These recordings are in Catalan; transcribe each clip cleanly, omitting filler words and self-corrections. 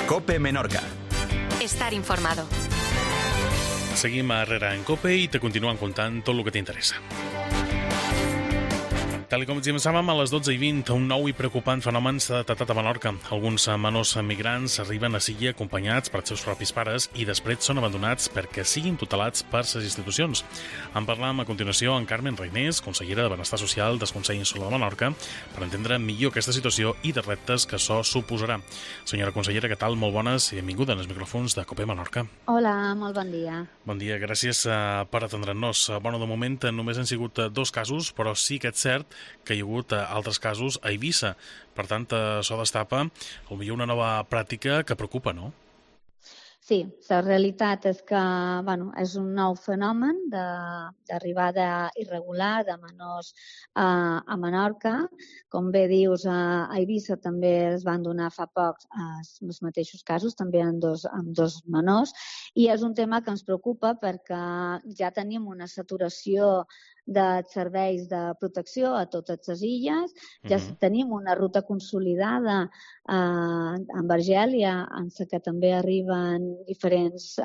COPE Menorca. Estar informado. Seguim a Herrera en COPE i te continuen contant tot el que t'interessa. Tal com ens començàvem a les 12:20, un nou i preocupant fenomen s'ha detectat a Menorca. Alguns menors migrants arriben a Silla acompanyats per seus propis pares i després són abandonats perquè siguin tutelats per les institucions. En parlam a continuació amb Carmen Reinés, consellera de Benestar Social del Consell Insular de Menorca, per entendre millor aquesta situació i de reptes que això suposarà. Senyora consellera, què tal? Molt bones i benvinguda als micròfons de COPE Menorca. Hola, molt bon dia. Bon dia, gràcies per atendre'ns. Bueno, de moment només han sigut 2 casos, però sí que és cert que hi ha hagut altres casos a Eivissa. Per tant, això destapa potser una nova pràctica que preocupa, no? Sí, la realitat és que és un nou fenomen d'arribada irregular de menors a Menorca. Com bé dius, a Eivissa també es van donar fa poc els mateixos casos, també amb dos menors, i és un tema que ens preocupa perquè ja tenim una saturació de serveis de protecció a totes les illes. Ja tenim una ruta consolidada amb Argèlia, en la que també arriben diferents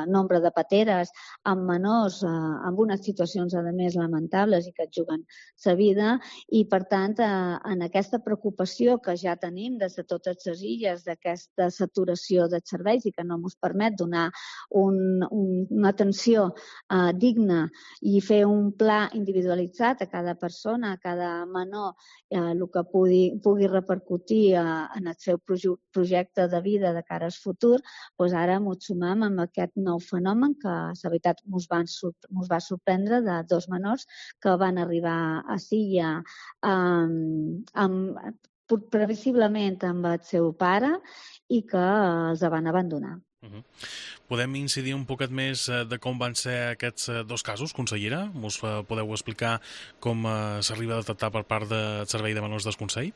nombre de pateres amb menors amb unes situacions, a més, lamentables i que et juguen la vida. I, per tant, en aquesta preocupació que ja tenim des de totes les illes, d'aquesta saturació de serveis i que no ens permet donar una atenció digna i fer un pla individualitzat a cada persona, a cada menor, el que pugui repercutir en el seu projecte de vida de cara al futur, doncs ara ens sumem amb aquest nou fenomen que, la veritat, ens va sorprendre, de 2 menors que van arribar a Silla previsiblement amb el seu pare i que els van abandonar. Podem incidir un poquet més de com van ser aquests 2 casos, consellera? Us podeu explicar com s'arriba a detectar per part del Servei de Menors del Consell?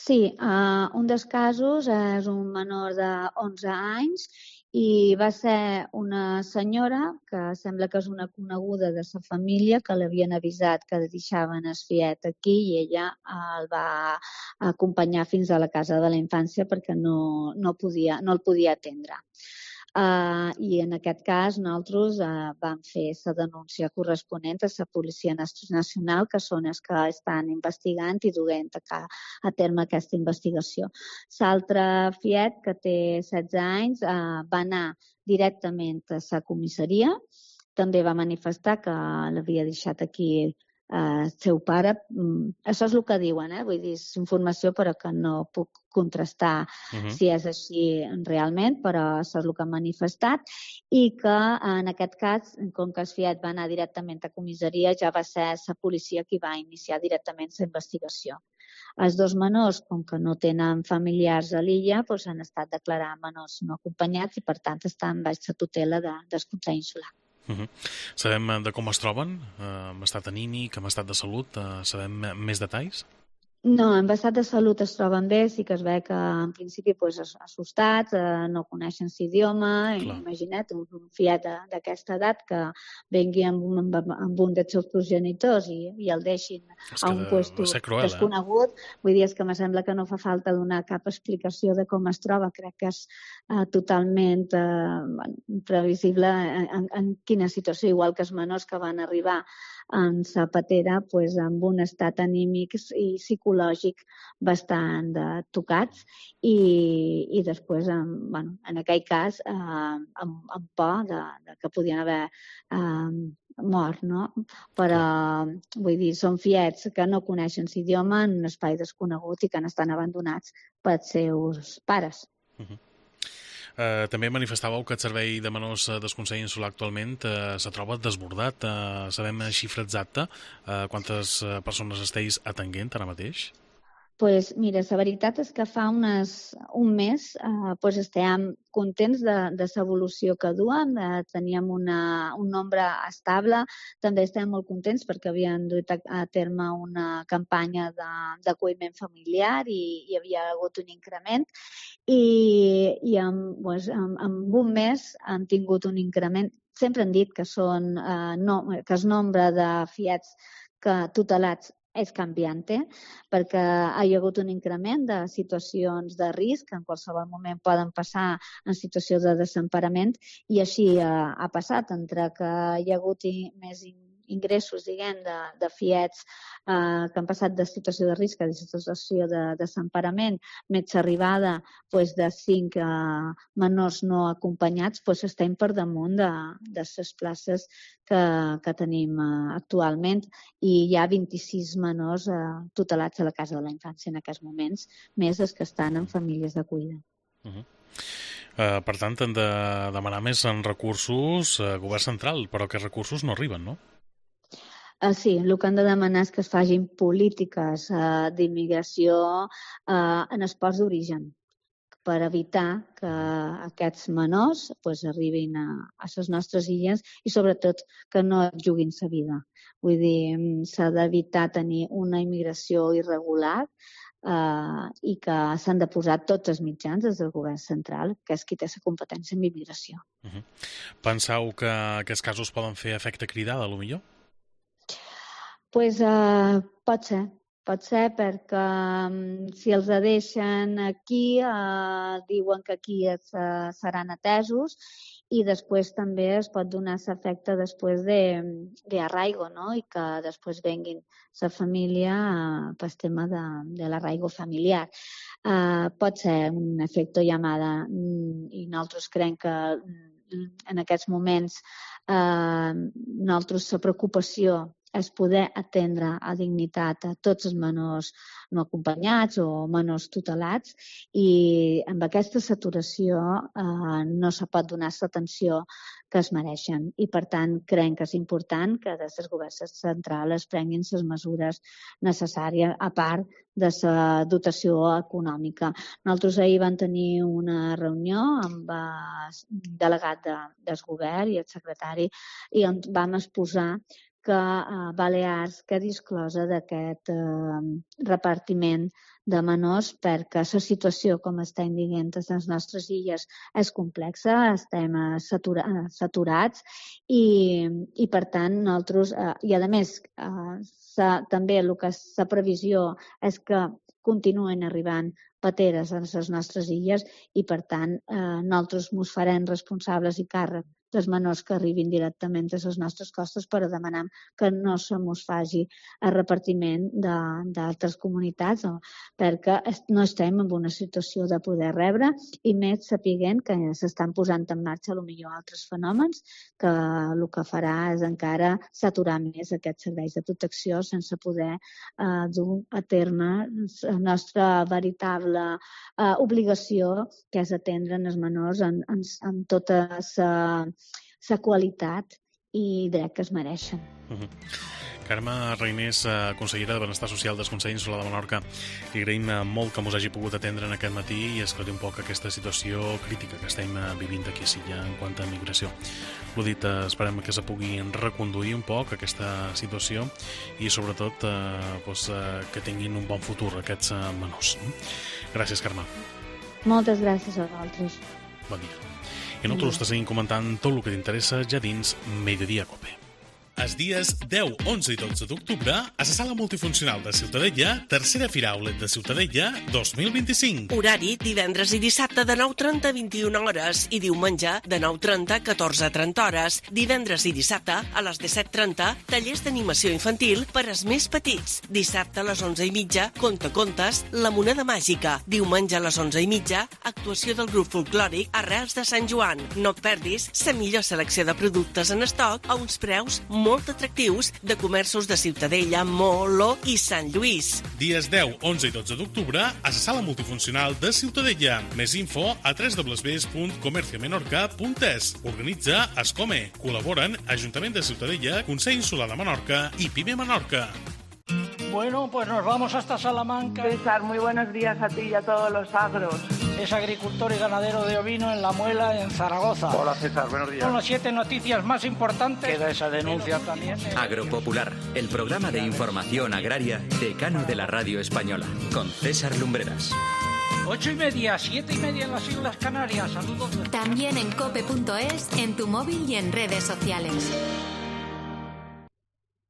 Sí, un dels casos és un menor de 11 anys i va ser una senyora que sembla que és una coneguda de la família que l'havien avisat que deixaven el fiet aquí i ella el va acompanyar fins a la casa de la infància perquè no el podia atendre. I en aquest cas nosaltres vam fer la denúncia corresponent a la Policia Nacional, que són els que estan investigant i duent a terme aquesta investigació. L'altre fiet, que té 16 anys, va anar directament a la comissaria, també va manifestar que l'havia deixat aquí el seu pare. Això és el que diuen, vull dir, és informació però que no puc contrastar si és així realment, però això és el que han manifestat, i que en aquest cas, com que el fiat va anar directament a comissaria, ja va ser la policia qui va iniciar directament la investigació. Els 2 menors, com que no tenen familiars a l'illa, han estat declarats menors no acompanyats i per tant estan baix la tutela del Consell Insular. Sabem de com es troben? En estat anímic, en estat de salut? Sabem més detalls? No, en estat de salut es troben bé, sí que es ve que en principi assustats, no coneixen l'idioma, imagina't un fiat d'aquesta edat que vengui amb un dels seus progenitors i el deixin a un lloc desconegut. Vull dir, és que em sembla que no fa falta donar cap explicació de com es troba, crec que és totalment previsible en quina situació, igual que els menors que van arribar en la patera amb un estat anímic i psicològic bastant tocats i després, en aquell cas, amb por que podien haver mort, no? Però, vull dir, són fiets que no coneixen l'idioma en un espai desconegut i que estan abandonats pels seus pares. També manifestàveu que el Servei de Menors del Consell Insular actualment se troba desbordat. Sabem xifra exacta? Quantes persones esteu atenent ara mateix? Doncs mira, la veritat és que fa un mes estem contents de l'evolució que duen, teníem un nombre estable, també estem molt contents perquè havien dut a terme una campanya d'acolliment familiar i hi havia hagut un increment i en un mes han tingut un increment. Sempre han dit que el nombre de fiats tutelats és canviante, perquè hi ha hagut un increment de situacions de risc que en qualsevol moment poden passar en situació de desemparament, i així ha passat, entre que hi ha hagut més ingressos, diguem, de fiets que han passat de situació de risc a situació de desemparament, més arribada de 5 menors no acompanyats, estem per damunt de les places que tenim actualment, i hi ha 26 menors tutelats a la Casa de la Infància en aquests moments, més els que estan en famílies d'acollida. Per tant, hem de demanar més en recursos govern central, però aquests recursos no arriben, no? Sí, el que han de demanar és que es facin polítiques d'immigració en els ports d'origen, per evitar que aquests menors arribin a les nostres illes i, sobretot, que no juguin sa vida. Vull dir, s'ha d'evitar tenir una immigració irregular i que s'han de posar tots els mitjans des del govern central, que és qui té la competència en immigració. Penseu que aquests casos poden fer efecte cridada, potser? Pot ser perquè si els deixen aquí diuen que aquí seran atesos, i després també es pot donar l'efecte després d'arraigo, no? I que després venguin la família pel tema de l'arraigo familiar. Pot ser un efecte llamada, i nosaltres creiem que en aquests moments nosaltres la preocupació és poder atendre a dignitat a tots els menors no acompanyats o menors tutelats, i amb aquesta saturació no se pot donar l'atenció que es mereixen. I, per tant, creiem que és important que des del govern central es prenguin les mesures necessàries, a part de la dotació econòmica. Nosaltres ahir vam tenir una reunió amb el delegat del govern i el secretari, i on vam exposar que Balears quedi exclosa d'aquest repartiment de menors, perquè la situació, com estem dient, a les nostres illes és complexa, estem saturats i per tant, nosaltres, i a més, també el que és la previsió és que continuen arribant pateres a les nostres illes, i per tant, nosaltres ens farem responsables i càrrec dels menors que arribin directament a les nostres costes, però demanem que no se mos faci el repartiment d'altres comunitats, perquè no estem en una situació de poder rebre, i més sapiguent que s'estan posant en marxa potser altres fenòmens que el que farà és encara saturar més aquests serveis de protecció sense poder dur a terme la nostra veritable obligació, que és atendre els menors amb tota la qualitat i dret que es mereixen. Carme Reinés, consellera de Benestar Social del Consell Insular de Menorca, li agraïm molt que mos hagi pogut atendre en aquest matí i esclarir un poc aquesta situació crítica que estem vivint aquí a Silla en quant a migració. L'ho dit, esperem que se pugui reconduir un poc aquesta situació i sobretot que tinguin un bon futur aquests menors. Gràcies, Carme. Moltes gràcies a vosaltres. Bon dia. I nosaltres te seguim comentant tot el que t'interessa ja dins Mediodía Cope. Els dies 10, 11 i 12 d'octubre, a la Sala Multifuncional de Ciutadella, tercera Fira Outlet de Ciutadella 2025. Horari divendres i dissabte de 9:30 a 21 hores i diumenge de 9:30 a 14:30 hores. Divendres i dissabte a les 17:30, tallers d'animació infantil per als més petits. Dissabte a les 11:30, contes, La moneda màgica. Diumenge a les 11:30, actuació del grup folclòric Arrels de Sant Joan. No et perdis la millor selecció de productes en estoc a uns preus molt atractius de comerços de Ciutadella, Molo i Sant Lluís. Dies 10, 11 i 12 d'octubre a la Sala Multifuncional de Ciutadella. Més info a www.comerciomenorca.es. Organitza Escome. Col·laboren Ajuntament de Ciutadella, Consell Insular de Menorca i PIME Menorca. Bueno, pues nos vamos hasta Salamanca. César, muy buenos días a ti y a todos los agros. Es agricultor y ganadero de ovino en La Muela, en Zaragoza. Hola César, buenos días. Son las 7 noticias más importantes. Queda esa denuncia también. Agropopular, el programa de información agraria decano de la radio española, con César Lumbreras. 8:30, 7:30 en las Islas Canarias. Saludos. También en cope.es, en tu móvil y en redes sociales.